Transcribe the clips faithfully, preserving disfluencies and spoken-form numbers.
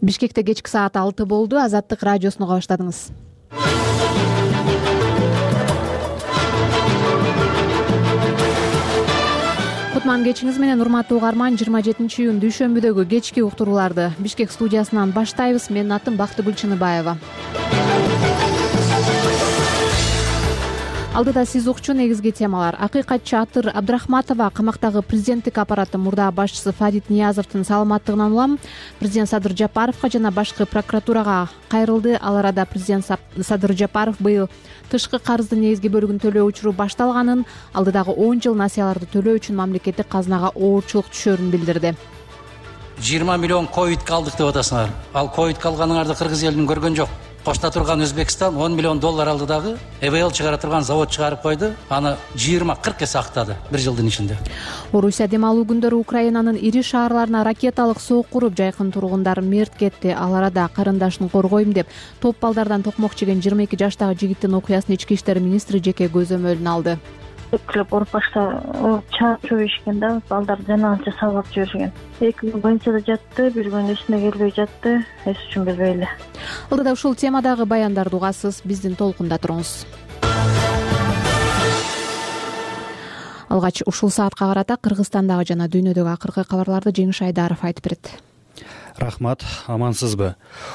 Бишкекте кечки саат алты болду. Азаттык радиосуну уга баштадыңыз. Кутман кечиңиз менен урматтуу угарман. жыйырма жетинчи июнь дүйшөмбүдөгү кечки уктурууларды Бишкек студиясынан баштайбыз. Менин атым Бактыгүл Чыныбаева. Алдыда сиз укчу негизги темалар. Акыйкатчы Атыр Абдрахматова камактагы президенттик аппараттын мурда башчысы Фадит Ниязовдун саламаттыгынан улам президент Садыр Жапаровго жана башкы прокуратурага кайрылды. Ал арада президент Садыр Жапаров быйыл тышкы карыздын негизги бөлүгүн төлөө учуру башталганын, алдыдагы он жыл насыяларды төлөө үчүн мамлекеттик казынага оорчулук түшөрүн билдирди. жыйырма миллион ковидке алдык деп атасыңар. Ал ковидке алганыңарды кыргыз элинин көргөн жок. Кошто турган Өзбекстан он миллион доллар алды дагы Э В Л чыгара турган завод чыгарып койду. Аны жыйырма кырк эсе актады бир жылдын ичинде. Орусия дем алуу күндөрү Украинанын ири шаарларына ракеталык соок куруп, жайкын тургундар мерт кетти. Ал арада карындашын коргойм деп топ балдардан токмок жеген жыйырма эки жаштагы жигиттин окуясын ички иштер министри жеке көзөмөлүнө алды. Эклеп уруп башта чаап жиберишкен да, балдар жанагынча сабап жиберишкен. Эки күн больницада жатты, бир күн эсине келбей жатты, эс үчүн билбей эле. Алдыда ушул темадагы баяндарды угасыз, биздин толкунда туруңуз. Алгач ушул саатка карата Кыргызстандагы жана дүйнөдөгү акыркы кабарларды Жеңиш Айдаров айтып берет. Рахмат, амансызбы?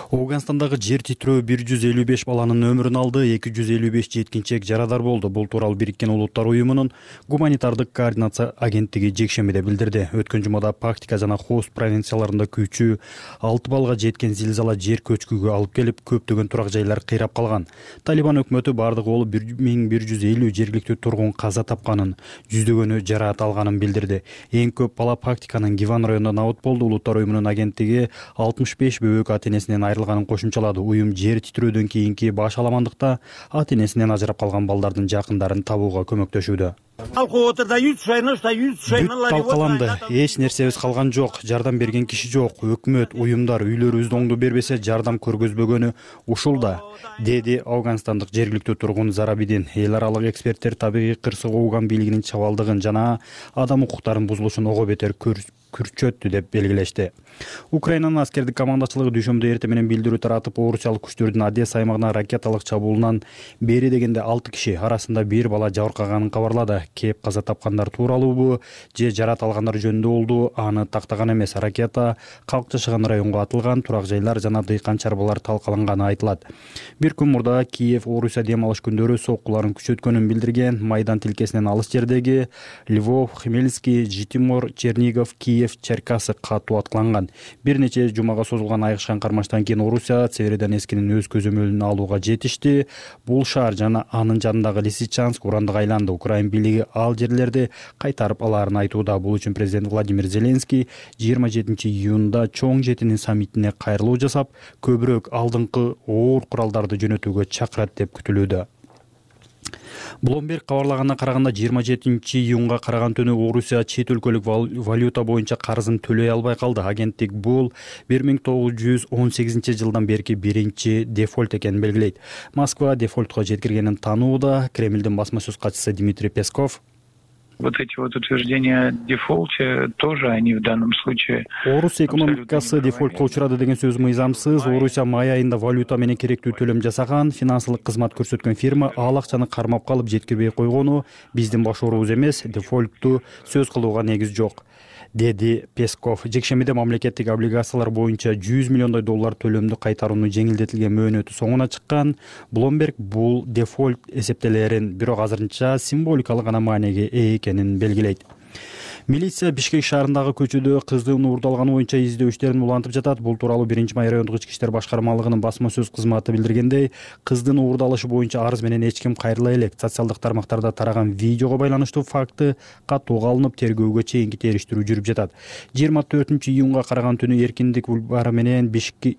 Ооганстандагы жер титирөө бир жүз элүү беш баланын өмүрүн алды, эки жүз элүү беш жеткинчек жарадар болду. Бул тууралуу Бириккен Улуттар уюмунун гуманитардык координация агенттиги жекшембиде билдирди. Өткөн жумада Пактика жана Хост провинцияларында күчү алты балга жеткен зилзала жер көчкүгө алып келип, көптөгөн турак жайлар кыйрап калган. Талибан өкмөтү бардыгы болуп бир миң бир жүз элүү жергиликтүү тургун каза тапканын, жүздөгөнү жараат алганын билдирди. Эң көп бала Пактиканын Гиван районунда набыт болду. Улуттар уюмунун агенттиги алтымыш беш бөбөк ата-энесинен айрылганын кошумчалады. Уюм жер титирөөдөн кийинки баш аламандыкта ата-энесинен ажырап калган балдардын жакындарын табууга көмөктөшүүдө. Бүт талкаланды. Эч нерсебиз калган жок. Жардам берген киши жок. Өкмөт, уюмдар үйлөрүбүздү оңдо бербесе, жардам көргөзбөгөнү ушул да, деди Ауганстандык жергиликтүү тургун Зарабидин. Эл аралык эксперттер табигый кырсык Ооган бийлигинин чабалдыгын жана адам укуктарынын бузулушун ого бетер күрчөттү деп белгилешти. Украинанын аскердик командачылыгы дүйшөмбүдө эртең менен билдирүү таратып, орусиялык күчтөрдүн Одесса аймагына ракеталык чабуулунан бери дегенде алты киши, арасында бир бала жабыркаганын кабарлады. Кеп каза тапкандар тууралуубу же жараат алгандар жөнүндө болду, аны тактаган эмес. Ракета калк жашаган районго атылган, турак жайлар жана дыйкан чарбалар талкаланганы айтылат. Бир күн мурда Киев Орусия дем алыш күндөрү соккуларын күчөткөнүн билдирген. Майдан тилкесинен алыс жердеги Львов, Хмельницкий, Житомир, Чернигов, Киев, Черкасы катуу аткыланган. Бир нече жумага созулган айгышкан кармаштан кийин Орусия Северодонецкинин өз көзөмөлүн алууга жетишти. Бул шаар жана анын жанындагы Лисичанск урандык айланды. Украин бийлиги ал жерлерди кайтарып алаарын айтууда. Бул үчүн президент Владимир Зеленский жыйырма жетинчи июнда чоң жетинин саммитине кайрылуу жасап, көбүрөөк алдыңкы оор куралдарды жөнөтүүгө чакырат деп күтүлүүдө. Bloomberg кабарлаганына караганда жыйырма жетинчи июнга караган түнү Орусия чет өлкөлүк валюта боюнча карызын төлөй албай калды. Агенттик бул бир миң тогуз жүз он сегизинчи жылдан берки биринчи дефолт экенин белгилейт. Москва дефолтко жеткиргенин таанууда. Кремлдин басма сөз катчысы Дмитрий Песков вот эти вот утверждения о дефолте тоже они в данном случае. Орусия экономикасы дефолтко учурады деген сөз мыйзамсыз. Орусия май айында валюта менен керектүү төлөм жасаган, финансылык кызмат көрсөткөн фирма ал акчаны кармап калып жеткирбей койгону биздин башоорубуз эмес, дефолтту сөз кылууга негиз жок, деди Песков. Жекшембиде мамлекеттик облигациялар боюнча жүз миллиондой доллар төлөмдү кайтарууну жеңилдетилген мөөнөтү соңуна чыккан. Bloomberg бул дефолт эсептелерин бирок азырынча символикалык гана мааниге ээ экенин белгилейт. Милиция Бишкек шаарындагы көчөдө кыздын уурдалганы боюнча издөө иштерин улантып жатат. Бул тууралуу биринчи май райондук ички иштер башкармалыгынын басма сөз кызматы билдиргендей, кыздын уурдалышы боюнча арыз менен эч ким кайрыла элек. Социалдык тармактарда тараган видеого байланыштуу факты катууга алынып, тергөөгө чейинки териштирүү жүрүп жатат. жыйырма төртүнчү июнга караган түнү Эркиндик бульвары менен Бишкек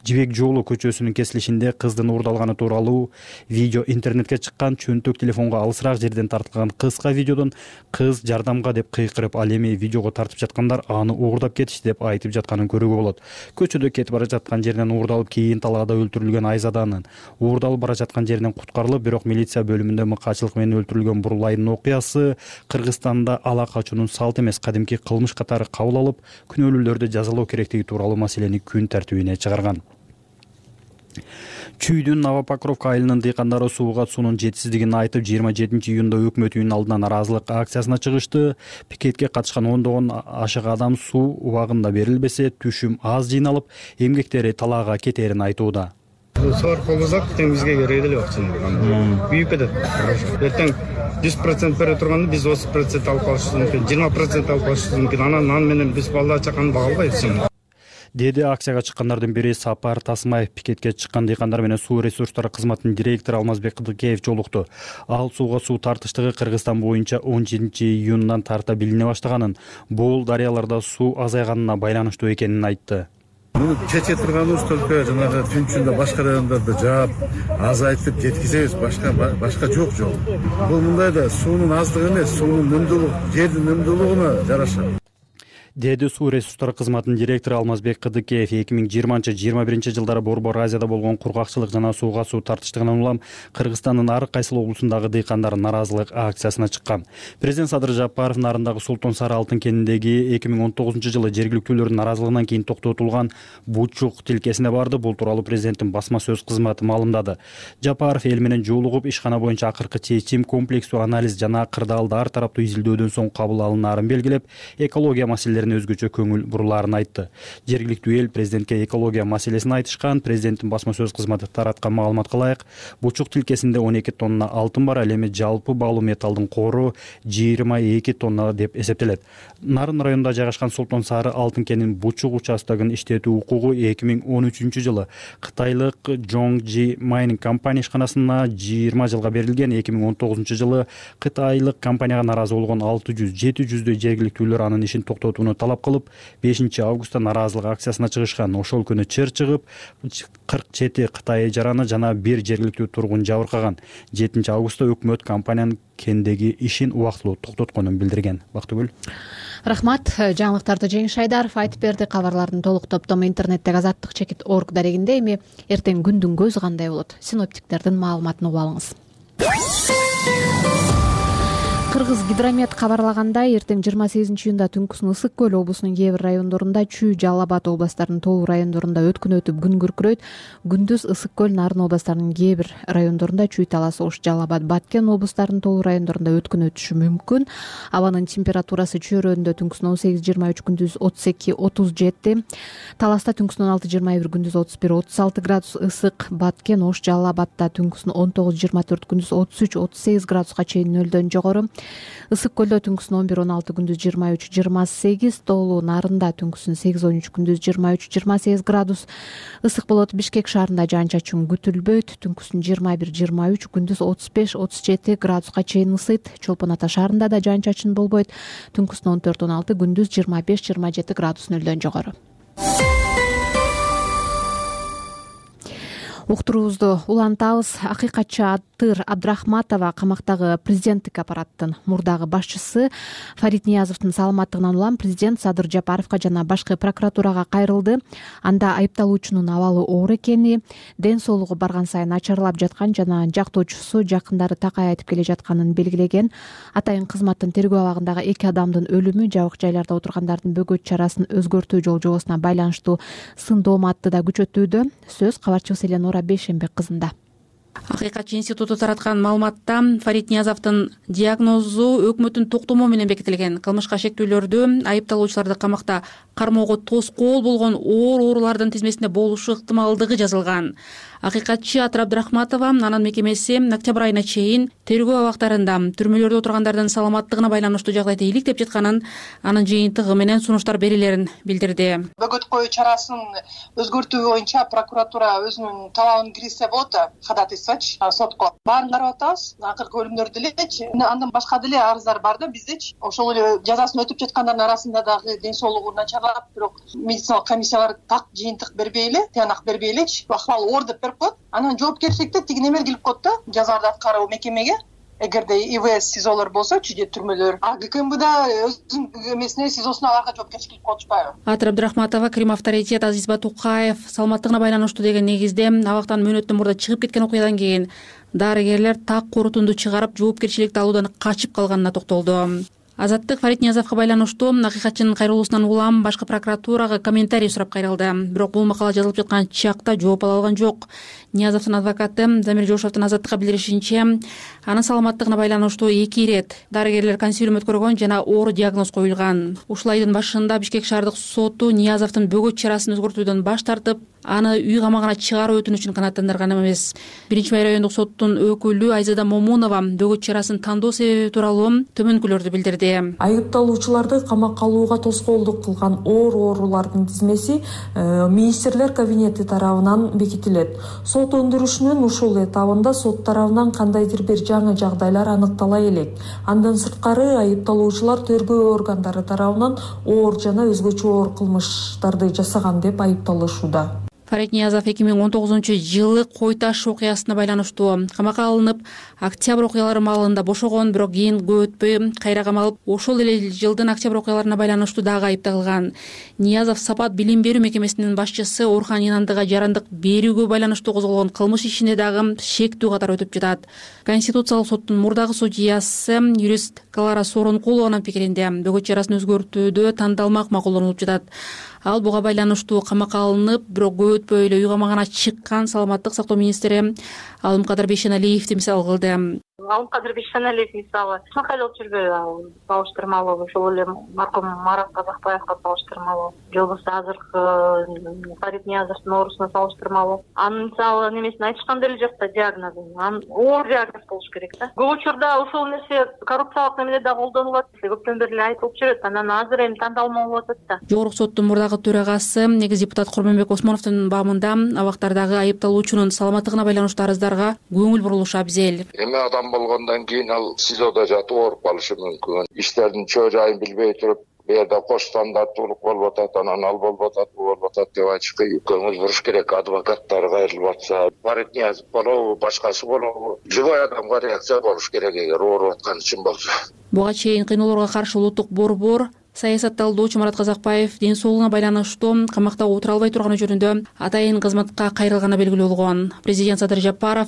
Жибек жолу көчөсүнүн кесилишинде кыздын уурдалганы тууралуу видео интернетке чыккан. Чөнтөк телефонго алысыраак жерден тартылган кыска видеодон кыз жардамга деп кыйкырып, ал эми видеого тартып жаткандар аны уурдап кетишти деп айтып жатканын көрүүгө болот. Көчөдө кетип бара жаткан жеринен уурдалып, кийин талаада өлтүрүлгөн Айзаданын уурдалып бара жаткан жеринен куткарылып, бирок милиция бөлүмүндө мыкаачылык менен өлтүрүлгөн Бурлайдын окуясы Кыргызстанда ала качуунун салт эмес, кадимки кылмыш катары кабыл алып, күнөөлүүлөрдү жазалоо керектиги тууралуу маселени күн тартибине чыгарган. Чүйдүн Новопокровка айылынын дыйкандары сууга суунун жетишсиздигин айтып, жыйырма жетинчи июнда өкмөт үйүнүнүн алдына нааразылык акциясына чыгышты. Пикетке катышкан ондогон ашык адам суу убагында берилбесе, түшүм аз жыйналып, эмгектери талаага кетерин айтууда. Соор колбозак тең бизге керек эле акчаны. Büyük кетет. Эртең жүз процент бере турганда биз отуз процент алып калышыбыз мүмкүн, жыйырма процент алып калышыбыз мүмкүн. Анан нан менен биз балдар чаканы бага албайбыз. Деди акцияга чыккандардын бири Сапар Тасмаев. Пикетке чыккан дыйкандар менен суу ресурстары кызматынын директору Алмазбек Кыдыкеев жолукту. Ал сууга суу тартыштыгы Кыргызстан боюнча он жетинчи июндан тарта билине баштаганын, бул дарыяларда суу азайганына байланыштуу экенин айтты. Муну чече турганыбыз только жанагы түнчүндө башка райондордо жаап, азайтып жеткизебиз, башка башка жок жол. Бул мындай да суунун аздыгы эмес, суунун үнөмдүүлүгү, жердин үнөмдүүлүгүнө жараша. Деди суу ресурстары кызматынын директору Алмазбек Кыдыкеев. эки миң жыйырманчы жыйырма биринчи жылдары Борбор Азияда болгон кургакчылык жана сууга суу тартыштыгынан улам Кыргызстандын ар кайсыл облусундагы дыйкандар нааразылык акциясына чыккан. Президент Садыр Жапаров нарындагы Султан Сары алтын кенindеги эки миң он тогузунчу жылы жергиликтүүлөрдүн нааразылыгынан кийин токтотулган Бучук тилкесине барды. Бул тууралуу президенттин басма сөз кызматы маалымдады. Жапаров эл менен жолугуп, ишкана боюнча акыркы чечим, комплекстүү анализ жана кырдаалды ар тараптуу изилдөөдөн соң кабыл алынаарын белгилеп, экология маселелери өзгөчө көңүл бурулаарын айтты. Жергиликтүү эл президентке экология маселесин айтышкан. Президенттин басма сөз кызматы тараткан маалыматка ылайык, Бучук тилкесинде он эки тонна алтын бар, ал эми жалпы баалуу металлдын кору жыйырма эки тонна деп эсептелет. Нарын районунда жайгашкан Султан Сары алтын кенинин Бучук участогун иштетүү укугу эки миң он үчүнчү жылы кытайлык Zhongji Mining компания ишканасына жыйырма жылга берилген. эки миң он тогузунчу жылы кытайлык компанияга нааразы болгон алты жүз жети жүздөй жергиликтүүлөр анын ишин токтотууну талап кылып, бешинчи августта нааразылык акциясына чыгышкан. Ошол күнү чыр чыгып, кырк жети Кытай жараны жана бир жергиликтүү тургун жабыркаган. жетинчи августта өкмөт компаниянын кендеги ишин убактылуу токтотконун билдирген. Бактыгүл. Рахмат. Жаңылыктарды Жеңиш Айдаров айтып берди. Кабарлардын толук топтому интернеттеги азаттык чекит орг дарегинде. Эми эртең күндүн көзү кандай болот? Синоптиктердин маалыматын угуп алыңыз. Кыргыз гидромет кабарлагандай, эртең жыйырма сегизинчи июнда түнкүсүн Ысык көл облусунун кээ бир райондорунда, Чүй, Жалал Абад областарынын толук райондорунда өткүн өтүп күн күркүрөйт. Күндүз Ысык көл, Нарын областарынын кээ бир райондорунда, Чүй, Талас, Ош, Жалал Абад, Баткен областарынын толук райондорунда өткүн өтүшү мүмкүн. Абанын температурасы чөйрөдө түнкүсүн он сегиз жыйырма үч, күндүз отуз эки отуз жети. Таласта түнкүсүн он алты жыйырма бир, күндүз отуз бир отуз алты градус ысык. Баткен, Ош, Жалал Абадта түнкүсүн он тогуз жыйырма төрт, күндүз отуз үч отуз сегиз градуска чейин нөлдөн жогору. Ысык көлдө түнкүсүн он бир он алты, күндүз жыйырма үч жыйырма сегиз. Тоолуу Нарында түнкүсүн сегиз он үч, күндүз жыйырма үч жыйырма сегиз градус ысык болот. Бишкек шаарында жаан-чачын күтүлбөйт. Түнкүсүн жыйырма бир жыйырма үч, күндүз отуз беш отуз жети градуска чейин ысыйт. Чолпон Ата шаарында да жаан-чачын болбойт. Түнкүсүн он төрт он алты, күндүз жыйырма беш жыйырма жети градус нөлдөн жогору. Уктуруубузду улантабыз. Акыйкатчы Атыр Абдрахматова камактагы президенттик аппараттын мурдагы башчысы Фарид Ниязовдун саламаттыгынан улам президент Садыр Жапаровго жана башкы прокуратурага кайрылды. Анда айыпталуучунун абалы оор экени, ден соолугу барган сайын начарлап жаткан жана жактоочусу жакындары такай айтып келе жатканын белгилеген. Атайын кызматтын тергөө абагындагы эки адамдын өлүмү, жабык жайларда отургандардын бөгөт чарасын өзгөртүү жол-жобосуна байланыштуу сын дооматты да күчөтүүдө. Сөз кабарчыбыз Эленора Бейшенбек кызында. Акыйкатчы институту тараткан маалыматта Фарид Ниязовдун диагнозу өкмөттүн токтому менен бекитилген. Кылмышка шектүүлөрдү айыпталуучуларды камакта кармоого тоскоол болгон оор оорулардын тизмесинде болушу ыктымалдыгы жазылган. Акыйкатчы Атыр Абдрахматова анын мекемеси октябрь айына чейин тергөө абактарында түрмөлөрдө отургандардын саламаттыгына байланыштуу жагдайды иликтеп жатканын, анын жыйынтыгы менен сунуштар берилерин билдирди. Бөгөт коюу чарасын өзгөртүү боюнча прокуратура өзүнүн талабын киргизсе болот да, ходатайство буюрсачы сотко баарын карап атабыз. Акыркы өлүмдөрдү элечи, андан башка деле арыздар бар да биздечи. Ошол эле жазасын өтүп жаткандардын арасында дагы ден соолугу начарлап, бирок медициналык комиссиялар так жыйынтык бербей эле, тыянак бербей элечи. Акыбалы оор деп берип коет. Анан жоопкерчиликти тиги неме келип коет да, жазарды аткаруу мекемеге. Эгерде ИВС СИЗОлор болсочу же түрмөлөр, а ГКМБда өзүнүн эмесине СИЗОсуна аларга жоопкерчилик коюп атышпайбы? Атыр Абдрахматова, Крим авторитет Азиз Батукаев саламаттыгына байланыштуу деген негизде абактан мөөнөттөн мурда чыгып кеткен окуядан кийин дарыгерлер так корутунду чыгарып жоопкерчиликти алуудан качып калганына токтолду. Азаттык Фарид Ниязовго байланыштуу Акыйкатчынын кайрылуусунан улам башкы прокуратурага комментарий сурап кайрылды. Бирок бул макала жазылып жаткан чакта жооп ала алган жок. Ниязовдун адвокаты Замир Жошовдун Азаттыкка билдиришинче, анын саламаттыгына байланыштуу эки ирет дарыгерлер консилиум өткөргөн жана оор диагноз коюлган. Ушул айдын башында Бишкек шаардык соту Ниязовдун бөгөт чарасын өзгөртүүдөн баш тартып, аны үй камагына чыгаруу өтүнүчүн канааттандырган эмес. Биринчи май райондук соттун өкүлү Айзада Момунова бөгөт чарасын тандоо себеби тууралуу төмөнкүлөрдү билдирди. Айыпталуучуларды камакка алууга тоскоолдук кылган оор оорулардын тизмеси министрлер кабинети тарабынан бекитилет. Сот өндүрүшүнүн ушул этабында сот тарабынан кандайдыр бир жаңы жагдайлар аныктала элек. Андан сырткары айыпталуучулар тергөө органдары тарабынан оор жана өзгөчө оор кылмыштарды жасаган деп айыпталышууда. Фарид Ниязов эки миң он тогузунчу жылы Кой Таш окуясына байланыштуу камакка алынып, октябрь окуялары маалында бошогон, бирок кийин көп өтпөй кайра камалып, ошол эле жылдын октябрь окуяларына байланыштуу дагы айыпталган. Ниязов Сапат билим берүү мекемесинин башчысы Орхан Инандыга жарандык берүүгө байланыштуу козголгон кылмыш ишине дагы шектүү катары өтүп жатат. Конституциялык соттун мурдагы судьясы юрист Клара Соронкулованын пикиринде бөгөт чарасын өзгөртүүдө тандалмак макулдонуп жатат. Ал буга байланыштуу камакка алынып, бирок көп өтпөй эле үй камагына чыккан саламаттык сактоо министри Алымкадыр Бейшеналиевди мисал кылды. Алымкадыр Бейшеналиев мисалы ачмакайлап жүрбөйбү, салыштырмалуу, ошол эле маркум Марат Казакбаевга салыштырмалуу, же болбосо азыркы Фарид Ниязовдун оорусуна салыштырмалуу. Анын мисалы немесин айтышкан деле жок да, диагнозун. Анын оор диагноз болуш керек да. Көп учурда ошол нерсе коррупциялык немеде да колдонулуп атат, көптөн бери эле айтылып жүрөт. Анан азыр эми тандалма болуп атат да. Жогорку соттун мурдагы төрагасы, негиз депутат Курманбек Осмоновдун бабында абактардагы айыпталуучунун саламаттыгына байланыштуу арыздарга көңүл бурулушу абзел. Эми адам болгондон кийин ал СИЗОдо жатып ооруп калышы мүмкүн. Иштердин чөө жайын билбей туруп, бу жерде кош стандарттуулук болуп атат, анан ал болуп атат, бу болуп атат деп айтышка көңүл буруш керек. Адвокаттар кайрылып атса, Фарид Ниязов болобу, башкасы болобу, живой адамга реакция болуш керек эгер ооруп аткан үчүн болсо. Буга чейин кыйноолорго каршы улуттук борбор саясатталдоочу Марат Казакбаев ден соолугуна байланыштуу камакта отура албай турганы жөнүндө атайын кызматка кайрылганы белгилүү болгон. Президент Садыр Жапаров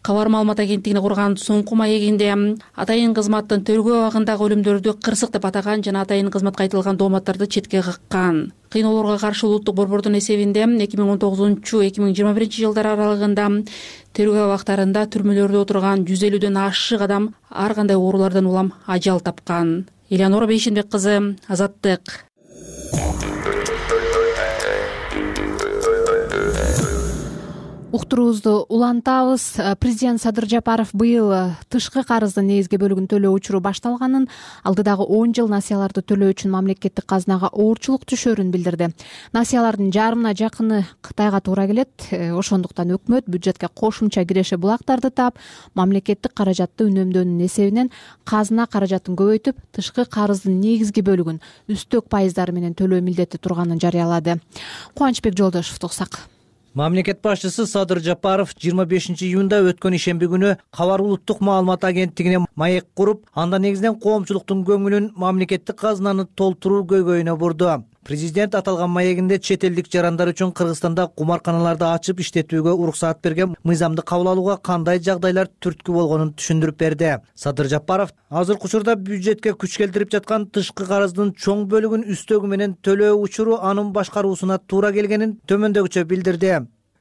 Кабар маалымат агенттигине курган соңку маегинде атайын кызматтын тергөө абагындагы өлүмдөрдү кырсык деп атаган жана атайын кызматка айтылган дооматтарды четке каккан. Кыйноолорго каршы улуттук борбордун эсебинде эки миң он тогузунчу эки миң жыйырма биринчи жылдар аралыгында тергөө абактарында түрмөлөрдө отурган жүз элүүдөн ашык адам ар кандай оорулардан улам ажал тапкан. Элеонора Бейшенбек кызы, Азаттык. Уктуруубузду улантабыз. Президент Садыр Жапаров быйыл тышкы карыздын негизги бөлүгүн төлөө учуру башталганын, алдыдагы он жыл насыяларды төлөө үчүн мамлекеттик казынага оорчулук түшөрүн билдирди. Насыялардын жарымына жакыны Кытайга туура келет. Ошондуктан өкмөт бюджетке кошумча киреше булактарды таап, мамлекеттик каражатты үнөмдөөнүн эсебинен казына каражатын көбөйтүп, тышкы карыздын негизги бөлүгүн үстөк пайыздары менен төлөө милдети турганын жарыялады. Кубанычбек Жолдошевду уксак. Мамлекет башчысы Садыр Жапаров жыйырма бешинчи июнда өткөн ишемби күнү Кабар улуттук маалымат агенттигине маек куруп, анда негизинен коомчулуктун көңүлүн мамлекеттик казынаны толтуруу көйгөйүнө бурду. Президент аталган маегинде чет элдик жарандар үчүн Кыргызстанда кумарканаларды ачып иштетүүгө уруксаат берген мыйзамды кабыл алууга кандай жагдайлар түрткү болгонун түшүндүрүп берди. Садыр Жапаров азыркы учурда бюджетке күч келтирип жаткан тышкы карыздын чоң бөлүгүн үстөгү менен төлөө учуру анын башкаруусуна туура келгенин төмөндөгүчө билдирди.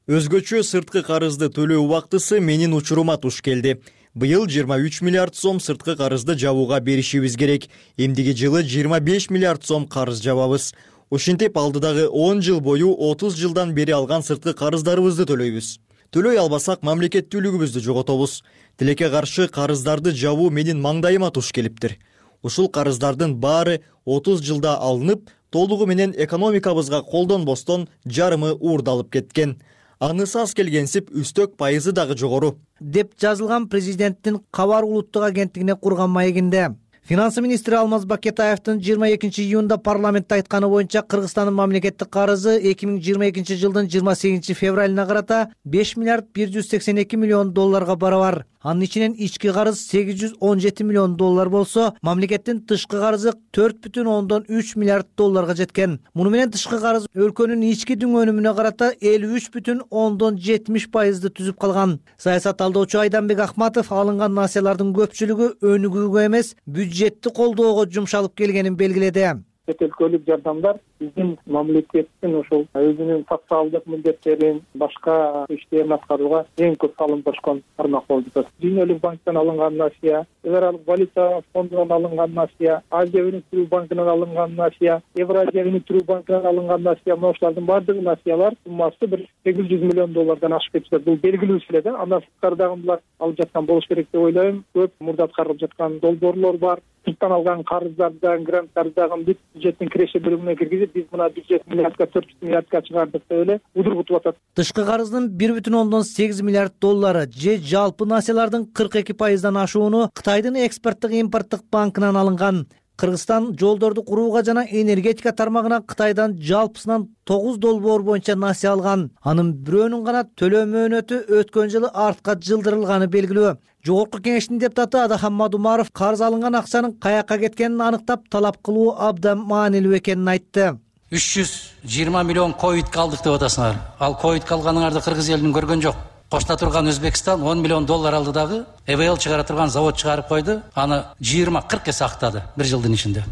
Өзгөчө сырткы карызды төлөө убактысы менин учурума туш келди. Быйыл жыйырма үч миллиард сом сырткы карызды жабууга беришибиз керек. Эмдиги жылы жыйырма беш миллиард сом карыз жабабыз. Ошентип алдыдагы он жыл бою отуз жылдан бери алган сырткы карыздарыбызды төлөйбүз. Төлөй албасак мамлекеттүүлүгүбүздү жоготобуз. Тилекке каршы карыздарды жабуу менин маңдайыма туш келиптир. Ушул карыздардын баары отуз жылда алынып, толугу менен экономикабызга колдонбостон жарымы уурдалып кеткен. анысы аз келгенсип үстөк пайызы дагы жогору деп жазылган президенттин Кабар улуттук агенттигине курган маегинде. Финансы министри Алмаз Бакетаевдин жыйырма экинчи июнда парламентте айтканы боюнча Кыргызстандын мамлекеттик карызы эки миң жыйырма экинчи жылдын жыйырма сегизинчи февралына карата беш миллиард бир жүз сексен эки миллион долларга барабар. Анын ичинен ички карыз сегиз жүз он жети миллион доллар болсо, мамлекеттин тышкы карызы төрт бүтүн ондон үч миллиард долларга жеткен. Муну менен тышкы карыз өлкөнүн ички дүң өнүмүнө карата элүү үч бүтүн ондон жетимиш пайызды түзүп калган. Саясат талдоочу Айданбек Акматов алынган насыялардын көпчүлүгү өнүгүүгө эмес, бюджетти колдоого жумшалып келгенин белгиледи. Чет өлкөлүк жардамдар биздин мамлекеттин ошол өзүнүн социалдык милдеттерин, башка иштерин аткарууга эң көп салым кошкон тармак болуп жатат. Дүйнөлүк банктан алынган насыя, Европалык валюта фондунан алынган насыя, Азия өнүктүрүү банкынан алынган насыя, Евразия өнүктүрүү банкынан алынган насыя, ошолордун баардыгы насыялар суммасы бир сегиз жүз миллион доллардан ашып кетишет. Бул белгилүү эле да. Андан сырткары дагы булар алып жаткан болуш керек деп ойлойм. Көп мурда аткарылып жаткан долбоорлор бар. Сырттан алган карыздардан, гранттардан бүт бюджеттин киреше бөлүмүнө киргизип, биз мына бюджет миллиардка төрт жүз миллиардка чыгардык деп эле удургутуп атат. Тышкы карыздын бир бүтүн ондон сегиз миллиард доллары же жалпы насыялардын кырк эки пайыздан ашууну Кытайдын экспорттук импорттук банкынан алынган. Кыргызстан жолдорду курууга жана энергетика тармагына Кытайдан жалпысынан тогуз долбоор боюнча насыя алган. Анын бирөөнүн гана төлөө мөөнөтү өткөн жылы артка жылдырылганы белгилүү. Жогорку кеңештин депутаты Адахан Мадумаров карыз алынган акчанын каяка кеткенин аныктап, талап кылуу абдан маанилүү экенин айтты. үч жүз жыйырма миллион ковидке алдык деп атасыңар. Ал ковидке алганыңарды Кыргыз элинин көргөн жок. Кошто турган Өзбекстан он миллион доллар алды дагы, Э В Л чыгара турган завод чыгарып койду. Аны жыйырма кырк эсе актады бир жылдын ичинде.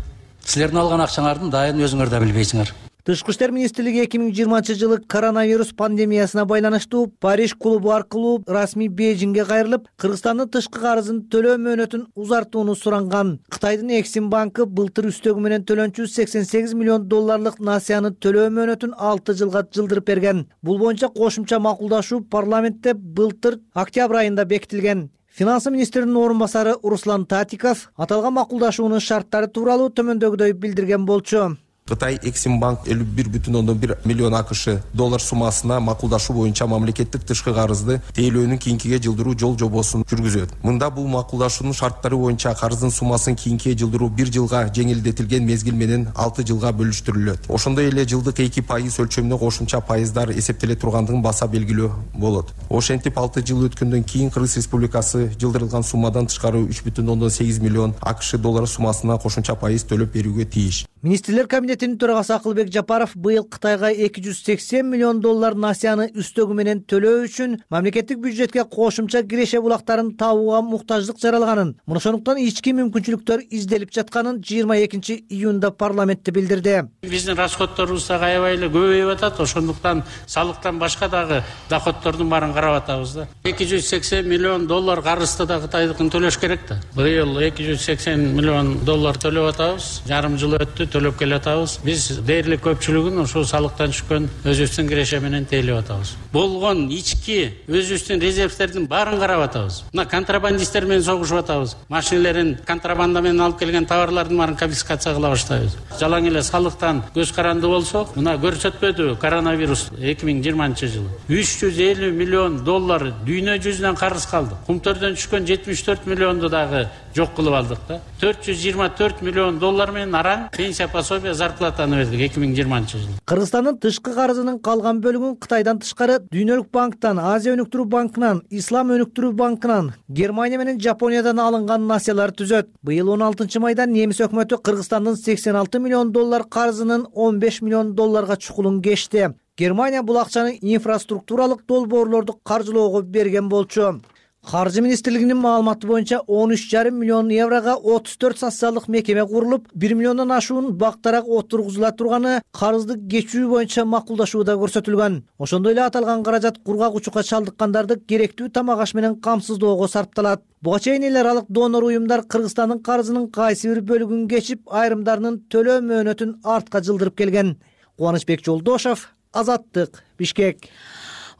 Силердин алган акчаңардын дайын өзүңөр да билбейсиңер. Тышкы иштер министрлиги эки миң жыйырманчы жылы коронавирус пандемиясына байланыштуу Париж клубу аркылуу расмий Бейжиңге кайрылып, Кыргызстандын тышкы карызын төлөө мөөнөтүн узартууну суранган. Кытайдын Эксим банкы былтыр үстөгү менен төлөнчү сексен сегиз миллион долларлык насыяны төлөө мөөнөтүн алты жылга жылдырып берген. Бул боюнча кошумча макулдашуу парламентте былтыр октябрь айында бекитилген. Финансы министринин орун басары Руслан Татиков аталган макулдашуунун шарттары тууралуу төмөндөгүдөй билдирген болчу. Кытай Эксим банк элүү бир бүтүн ондон бир миллион АКШ доллар суммасына макулдашуу боюнча мамлекеттик тышкы карызды тейлөөнүн кийинкиге жылдыруу жол жобосун жүргүзөт. Мында бул макулдашуунун шарттары боюнча карыздын суммасын кийинкиге жылдыруу бир жылга жеңилдетилген мезгил менен алты жылга бөлүштүрүлөт. Ошондой эле жылдык эки пайыз өлчөмүнө кошумча пайыздар эсептеле тургандыгын баса белгилөө болот. Ошентип алты жыл өткөндөн кийин Кыргыз Республикасы жылдырылган суммадан тышкары үч бүтүн ондон сегиз миллион АКШ доллары суммасына кошумча пайыз төлөп берүүгө тийиш. Министрлер кабинетинин төрагасы Акылбек Жапаров быйыл Кытайга эки жүз сексен миллион доллар насыяны үстөгү менен төлөө үчүн мамлекеттик бюджетке кошумча киреше булактарын табууга муктаждык жаралганын, ошондуктан ички мүмкүнчүлүктөр изделип жатканын жыйырма экинчи июнда парламентте билдирди. Биздин расходторубуз дагы аябай эле көбөйүп атат, ошондуктан салыктан башка дагы доходдордун баарын карап атабыз да. эки жүз сексен миллион доллар карызды да Кытайдыкын төлөш керек да. Быйыл эки жүз сексен миллион доллар төлөп атабыз. Жарым жыл өттү, төлөп келе атабыз. Биз дээрлик көпчүлүгүн ошол салыктан түшкөн өзүбүздүн киреше менен тейлеп атабыз. Болгон ички өзүбүздүн резервтердин баарын карап атабыз. Мына контрабандисттер менен согушуп атабыз. Машинелерин контрабанда менен алып келген товарлардын баарын конфискация кыла баштайбыз. Жалаң эле салыктан көз каранды болсок, мына көрсөтпөдү коронавирус эки миң жыйырманчы жылы үч жүз элүү миллион доллар дүйнө жүзүнөн карыз калды. Кумтөрдөн түшкөн жетимиш төрт миллионду дагы жок кылып алдык да. төрт жүз жыйырма төрт миллион доллар менен араң пенсия пособие зарплатаны бердик эки миң жыйырманчы жылы. Кыргызстандын тышкы карызынын калган бөлүгүн Кытайдан тышкары Дүйнөлүк банктан, Азия өнүктүрүү банкынан, Ислам өнүктүрүү банкынан, Германия менен Жапониядан алынган насыялар түзөт. Быйыл он алтынчы майда немис өкмөтү Кыргызстандын сексен алты миллион доллар карызынын он беш миллион долларга чукулун кечти. Германия бул акчаны инфраструктуралык долбоорлорду каржылоого берген болчу. Каржы министрлигинин маалыматы боюнча он үч жарым миллион еврого отуз төрт социалдык мекеме курулуп, бир миллиондон ашуун бактарак отургузула турганы карызды кечүү боюнча макулдашууда көрсөтүлгөн. Ошондой эле аталган каражат кургак учукка чалдыккандарды керектүү тамак аш менен камсыздоого сарпталат. Буга чейин эл аралык донор уюмдар Кыргызстандын карызынын кайсы бир бөлүгүн кечип, айрымдарынын төлөө мөөнөтүн артка жылдырып келген. Кубанычбек Жолдошов, Азаттык, Бишкек.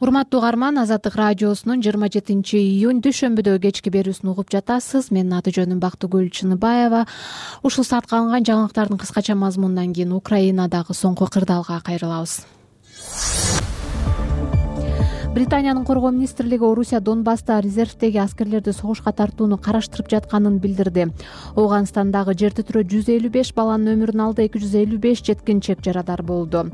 Урматтуу угарман, Азаттык радиосунун жыйырма жетинчи июнь дүйшөмбүдө кечки берүүсүн угуп жатасыз. Менин аты жөнүм Бактыгүл Чыныбаева. Ушул саатка алынган жаңылыктардын кыскача мазмунунан кийин Украинадагы соңку кырдаалга кайрылабыз. Британиянын коргоо министрлиги Орусия Донбасста резервдеги аскерлерди согушка тартууну караштырып жатканын билдирди. Ооганстандагы жер титирөө жүз элүү беш баланын өмүрүн алды, эки жүз элүү беш жеткинчек жарадар болду.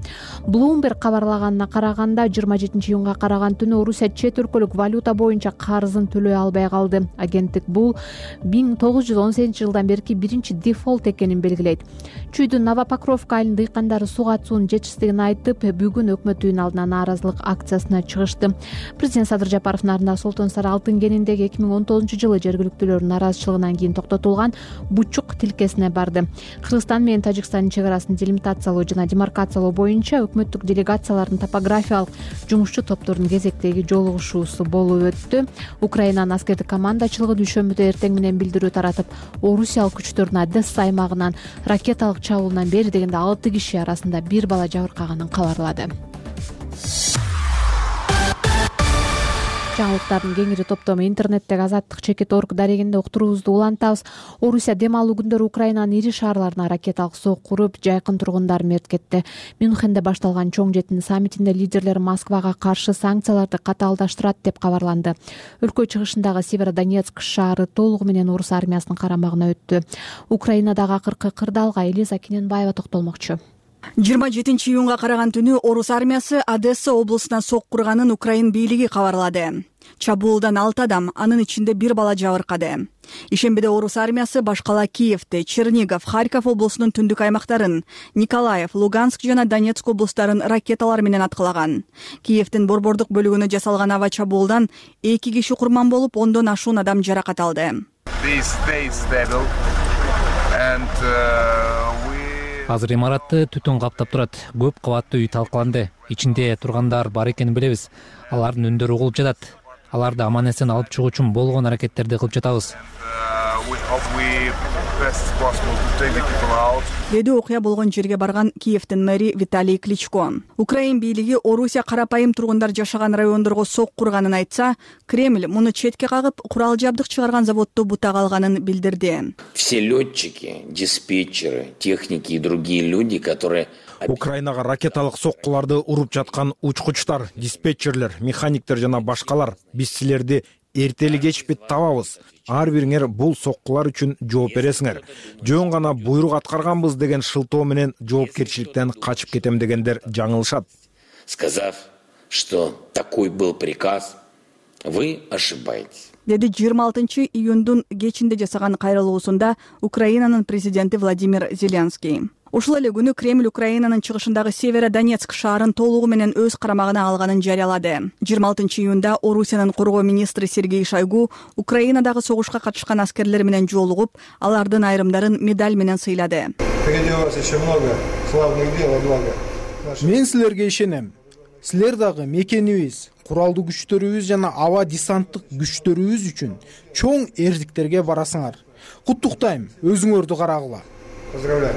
Bloomberg кабарлаганына караганда жыйырма жетинчи июнга караган түнү Орусия чет өлкөлүк валюта боюнча карызын төлөй албай калды. Агенттик бул миң тогуз жүз он сегизинчи жылдан берки биринчи дефолт экенин белгилейт. Чүйдүн Новопокровка айылынын дыйкандары суга суунун жетишсиздигин айтып, бүгүн өкмөт үйүнүн алдына нааразылык акциясына чыгышты. Президент Садыр Жапаров нарында Солтон Сара алтын кениндеги эки миң он тогузунчу жылы жергиликтүүлөрдүн нааразычылыгынан кийин токтотулган бучук тилкесине барды. Кыргызстан менен Тажикстандын чек арасын делимитациялоо жана демаркациялоо боюнча өкмөттүк делегациялардын топографиялык жумушчу топторунун кезектеги жолугушуусу болуп өттү. Украинанын аскердик командачылыгы дүйшөмбүдө эртең менен билдирүү таратып, орусиялык күчтөрдүн Одесса аймагынан ракеталык чабуулдан бери дегенде алты киши арасында бир бала жабыркаганын кабарлады. Жаңылыктардын кеңири топтому интернеттеги азаттык чекит орг дарегинде уктуруубузду улантабыз. Орусия дем алуу күндөрү Украинанын ири шаарларына ракеталык сок куруп, жайкын тургундар мерт кетти. Мюнхенде башталган чоң жетинин саммитинде лидерлер Москвага каршы санкцияларды катаалдаштырат деп кабарланды. Өлкө чыгышындагы Северодонецк шаары толугу менен орус армиясынын карамагына өттү. Украинадагы акыркы кырдаалга Элиза Кененбаева токтолмокчу. жыйырма жетинчи июнга караган түнү орус армиясы Одесса облусуна сок курганын Украин бийлиги кабарлады. Чабуулдан алты адам, анын ичинде бир бала жабыркады. Ишембиде орус армиясы башкала Киевди, Чернигов, Харьков облусунун түндүк аймактарын, Николаев, Луганск жана Донецк облустарын ракеталар менен аткылаган. Киевдин борбордук бөлүгүнө жасалган аба чабуулдан эки киши курман болуп, ондон ашуун адам жаракат алды. Азыр имаратты түтүн каптап турат. Көп кабаттуу үй талкаланды. Ичинде тургандар бар экенин билебиз. Алардын үндөрү угулуп жатат. Аларды аман-эсен алып чыгуу үчүн болгон аракеттерди кылып жатабыз. Деди окуя болгон жерге барган Киевдин мэри Виталий Кличко. Украин бийлиги Орусия карапайым тургундар жашаган райондорго сок курганын айтса, Кремль муну четке кагып, курал жабдык чыгарган заводду бутага алганын билдирди. Все летчики, диспетчеры, техники и другие люди, которые Украинага ракеталык соккуларды уруп жаткан учкучтар, диспетчерлер, механиктер жана башкалар, биз силерди эртели кечпи табабыз. Ар бириңер бул соккулар үчүн жооп бересиңер. Жөн гана буйрук аткарганбыз деген шылтоо менен жоопкерчиликтен качып кетем дегендер жаңылышат. Сказав, что такой был приказ, вы ошибаетесь. Деди жыйырма алтынчы июндун кечинде жасаган кайрылуусунда Украинанын президенти Владимир Зеленский. Ушул эле күнү Кремль Украинанын чыгышындагы Северодонецк шаарын толугу менен өз карамагына алганын жарыялады. жыйырма алтынчы июнда Орусиянын коргоо министри Сергей Шойгу Украинадагы согушка катышкан аскерлер менен жолугуп, алардын айрымдарын медаль менен сыйлады. Мен силерге ишенем. Силер дагы мекенибиз, куралдуу күчтөрүбүз жана аба десанттык күчтөрүбүз үчүн чоң эрдиктерге барасыңар. Куттуктайм, өзүңөрдү карагыла. Поздравляю.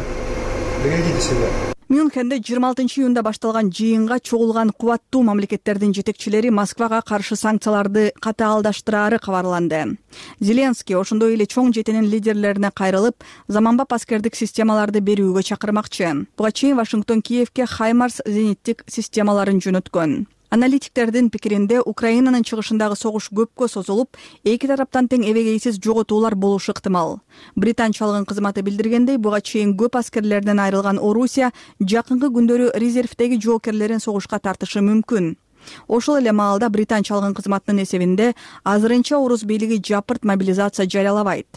Берегите себя. Мюнхенде жыйырма алтынчы июнда башталган жыйынга чогулган кубаттуу мамлекеттердин жетекчилери Москвага каршы санкцияларды катаалдаштырары кабарланды. Зеленский ошондой эле чоң жетинин лидерлерине кайрылып, заманбап аскердик системаларды берүүгө чакырмакчы. Буга чейин Вашингтон Киевке Хаймарс зениттик системаларын жөнөткөн. Аналитиктердин пикиринде Украинанын чыгышындагы согуш көпкө созулуп, эки тараптан тең эбегейсиз жоготуулар болушу ыктымал. Британ чалгын кызматы билдиргендей, буга чейин көп аскерлерден айрылган Орусия жакынкы күндөрү резервдеги жоокерлерин согушка тартышы мүмкүн. Ошол эле маалда Британ чалгын кызматынын эсебинде азырынча орус бийлиги жапырт мобилизация жарыялабайт.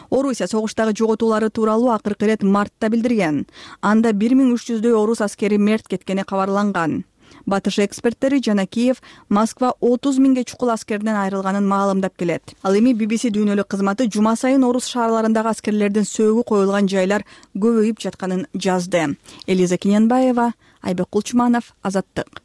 Орусия согуштагы жоготуулары тууралуу акыркы ирет мартта билдирген. Анда бир миң үч жүздөй орус аскери мерт кеткени кабарланган. Батыш эксперттери жана Киев Москва отуз миңге чукул аскерден айрылганын маалымдап келет. Ал эми би би си дүйнөлүк кызматы жума сайын орус шаарларындагы аскерлердин сөөгү коюлган жайлар көбөйүп жатканын жазды. Элиза Кененбаева, Айбек Кулчуманов, Азаттык.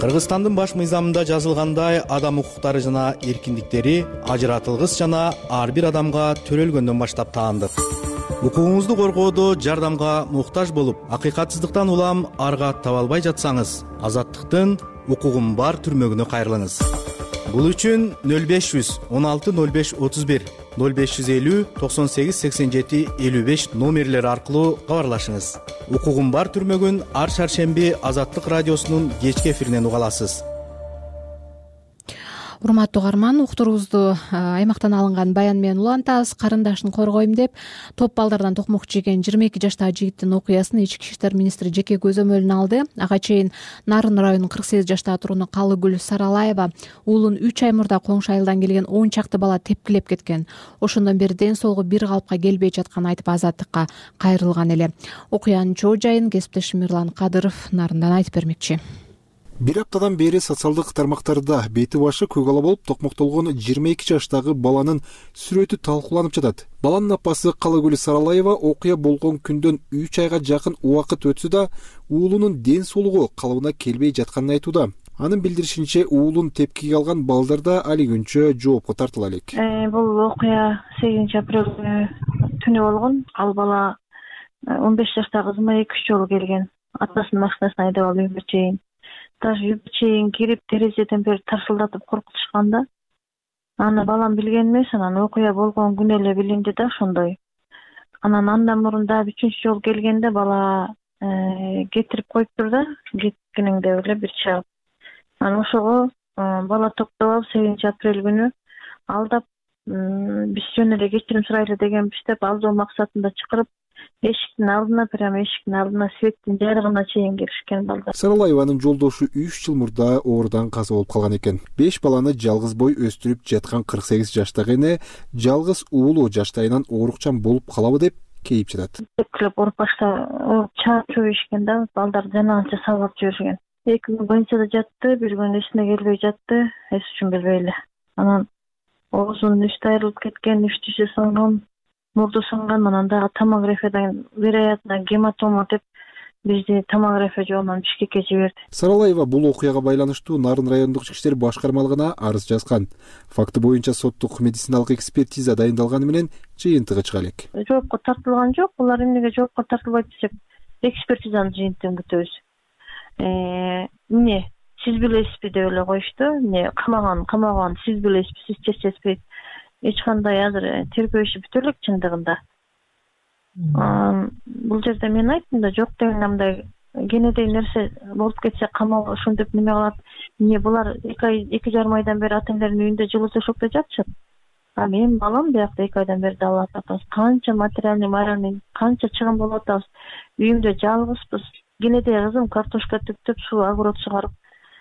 Кыргызстандын баш мыйзамында жазылгандай, адам укуктары жана эркиндиктери ажыратылгыс жана ар бир адамга төрөлгөндөн баштап таандык. Укугуңузду коргоодо жардамга муктаж болуп, акыйкатсыздыктан улам арга таба албай жатсаңыз, Азаттыктын укугум бар түрмөгүнө кайрылыңыз. Бул үчүн нөл беш жүз он алты нөл беш отуз бир, нөл беш жүз элүү токсон сегиз сексен жети элүү беш номерлери аркылуу кабарлашыңыз. Укугум бар түрмөгүн ар шаршемби Азаттык радиосунун кечки эфиринен уга аласыз. урматтуу угарман, уктуруубузду аймактан алынган баян менен улантабыз. Карындашын коргойм деп топ балдардан токмок жеген жыйырма эки жаштагы жигиттин окуясын ички иштер министри жеке көзөмөлүнө алды. Ага чейин Нарын районунун кырк сегиз жаштагы тургуну Калыгүл Саралаева уулун үч ай мурда коңшу айылдан келген он чакты бала тепкилеп кеткен. Ошондон бери ден соолугу бир калыпка келбей жатканын айтып азаттыкка кайрылган эле. Окуянын чоо жайын кесиптешим Мирлан Кадыров Нарындан айтып бермекчи. Бир аптадан бери социалдык тармактарда бети башы көк ала болуп токмоктолгон жыйырма эки жаштагы баланын сүрөтү талкууланып жатат. Баланын апасы Калыгүл Саралаева окуя болгон күндөн үч айга жакын убакыт өтсө да уулунун ден соолугу калыбына келбей жатканын айтууда. Анын билдиришинче, уулун тепкиге алган балдарда али күнчө жоопко тартыла элек. Бул окуя сегизинчи апрель түнү болгон. Ал бала он беш жаштагы кызыма эки үч жолу келген. Атасынын машинасына айдап алып үйгө чейин. Даже үйгө чейин кирип терезеден бери тарсылдатып коркутушканда, аны балам билген эмес, анан окуя болгон күнү эле билинди да ошондой. Анан андан мурун дагы үчүнчү жолу келгенде бала кетирип коюптур да, кеткениңде эле бир чагып. Анан ошого бала токтоп алып сегизинчи апрель күнү алдап, биз жөн эле кечирим сурайлы дегенбиз деп алдоо максатында чакырып, эшиктин алдына, прямо эшиктин алдына светтин жарыгына чейин келишкен балдар. Саралаеванын жолдошу үч жыл мурда оорудан каза болуп калган экен. беш баланы жалгыз бой өстүрүп жаткан кырк сегиз жаштагы эне жалгыз уулу жаштайынан оорукчан болуп калабы деп кейип жатат. Тепкилеп оруп башта чаап жиберишкен да, балдар жанагынча сабап жиберишкен. Эки күн больницада жатты, бир күн эсине келбей жатты, эс үчүн билбей эле. Анан оозунун үстү айрылып кеткен, үч тиши сынган, мурду сынган, анан дагы томографиядан вероятно гематома деп бизди томография жолунан Бишкекке жиберди. Саралаева бул окуяга байланыштуу Нарын райондук ички иштер башкармалыгына арыз жазган. Факты боюнча соттук медициналык экспертиза дайындалганы менен жыйынтыгы чыга элек. Жоопко тартылган жок. Булар эмнеге жоопко тартылбайт десек, экспертизанын жыйынтыгын күтөбүз. Эмне, сиз билесизби деп эле коюшту. Эмне, камаган, камаган, сиз билесизби, сиз чечесизби? Эч кандай азыр тергөө иши бүтө элек чындыгында. Бул жерде мен айттым да, жок деген мындай кенедей нерсе болуп кетсе камал ошентип неме кылат. Эмне булар эки жарым айдан бери ата энелеринин үйүндө жылуу төшөктө жатышат. А менин балам биякта эки айдан бери далат атабыз. Канча материальный, моральный, канча чыгым болуп атабыз. Үйүмдө жалгызбыз. Кенедей кызым картошка түптөп, суу огород чыгарып,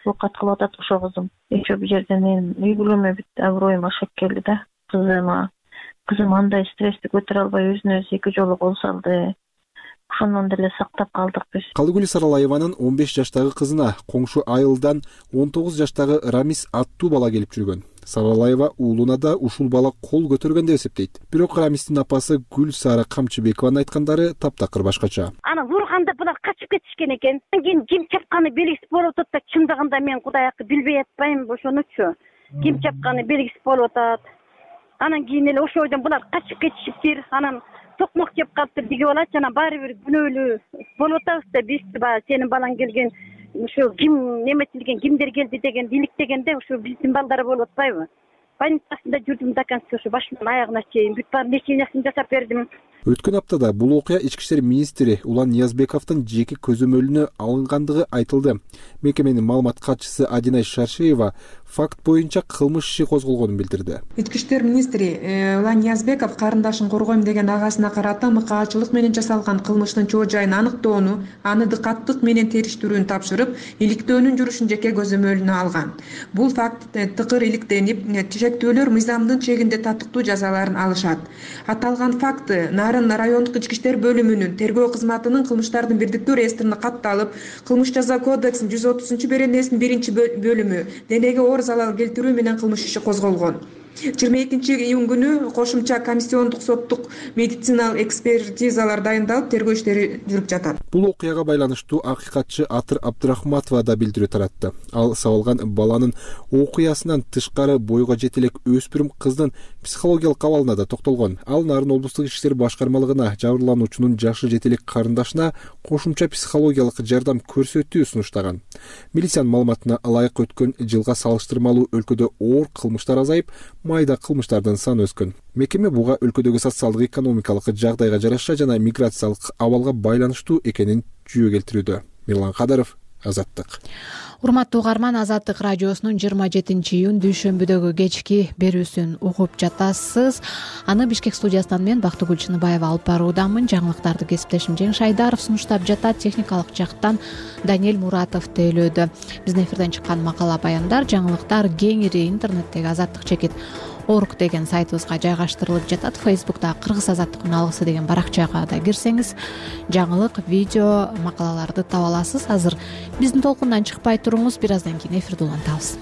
оокат кылып атат ошо кызым. Еще бул жерде менин үй бүлөмө бүт аброюм ашып келди да. Кызыма, кызым андай стрессти көтөрө албай өзүнө өзү эки жолу кол салды. Ошондон деле сактап калдык биз. Калыгүл Саралаеванын он беш жаштагы кызына коңшу айылдан он тогуз жаштагы Рамис аттуу бала келип жүргөн. Саралаева уулуна да ушул бала кол көтөргөн деп эсептейт. Бирок Рамистин апасы Гүлсара Камчыбекованын айткандары таптакыр башкача. Аны вурганда булар качып кетишкен экен. Кийин ким чапканы белгисиз болуп атат да, чындыгында мен Кудай акы билбей атпайм ошонучу. Ким чапканы белгисиз болуп атат. Анан кийин эле ошол ойдон булар качып кетишиптир. Анан токмок жеп калыптыр деген болот. Жана баары бир күнөөлүү болуп атабыз да, биз баягы сенин балаң келген, ошо ким неметилген, кимдер келди деген иликтегенде ошо биздин балдар болуп атпайбы? Больницасында жүрдүм до конца, ошо башынан аягына чейин бүт баарын лечениясын жасап бердим. Өткөн аптада бул окуя ички иштер министри Улан Ниязбековдун жеке көзөмөлүнө алынгандыгы айтылды. Мекеменин маалымат катчысы Адинай Шаршеева факт боюнча кылмыш иши козголгонун билдирди. Ички иштер министри Улан Ниязбеков карындашын коргойм деген агасына карата мыкаачылык менен жасалган кылмыштын чоо жайын аныктоону, аны дыкаттык менен териштирүүнү тапшырып, иликтөөнүн жүрүшүн жеке көзөмөлүнө алган. Бул факт тыкыр иликтенип, тешектөөлөр мыйзамдын чегинде татыктуу жазаларын алышат. Аталган факты Нарын райондук ички иштер бөлүмүнүн тергөө кызматынын кылмыштардын бирдиктүү реестрине катталып, кылмыш жаза кодексинин жүз отузунчу беренесинин биринчи бөлүмү денеге оор залал келтирүү менен кылмыш иши козголгон. жыйырма экинчи июнь күнү кошумча комиссиондук соттук медициналык экспертизалар дайындалып, тергөө иштери жүрүп жатат. Бул окуяга байланыштуу акыйкатчы Атыр Абдрахматова да билдирүү таратты. Ал сабалган баланын окуясынан тышкары бойго жете элек өспүрүм кыздын психологиялык абалына да токтолгон. Ал Нарын облустук ички иштер башкармалыгына жабырлануучунун жашы жете элек карындашына кошумча психологиялык жардам көрсөтүү сунуштаган. Милициянын маалыматына ылайык өткөн жылга салыштырмалуу өлкөдө оор кылмыштар азайып, майда кылмыштардын саны өскөн. Мекеме буга өлкөдөгү социалдык экономикалык жагдайга жараша жана миграциялык абалга байланыштуу экенин жүйө келтирүүдө. Мирлан Кадыров, Азаттык. Урматтуу угарман, Азаттык радиосунун жыйырма жетинчи июнь дүйшөмбүдөгү кечки берүүсүн угуп жатасыз. Аны Бишкек студиясынан мен Бактыгүл Чыныбаева алып баруудамын. Жаңылыктарды кесиптешим Жеңиш Айдаров сунуштап жатат. Техникалык жактан Даниэль Муратов тейлөөдө. Биздин эфирден чыккан макала баяндар, жаңылыктар кеңири интернеттеги азаттык чекит орг деген сайтыбызга жайгаштырылып жатат. Фейсбукта Кыргыз азаттыктын алгысы деген баракчага да кирсеңиз жаңылык, видео, макалаларды таба аласыз. Азыр биздин толкундан чыкпай туруңуз, бир аздан кийин эфирди улантабыз.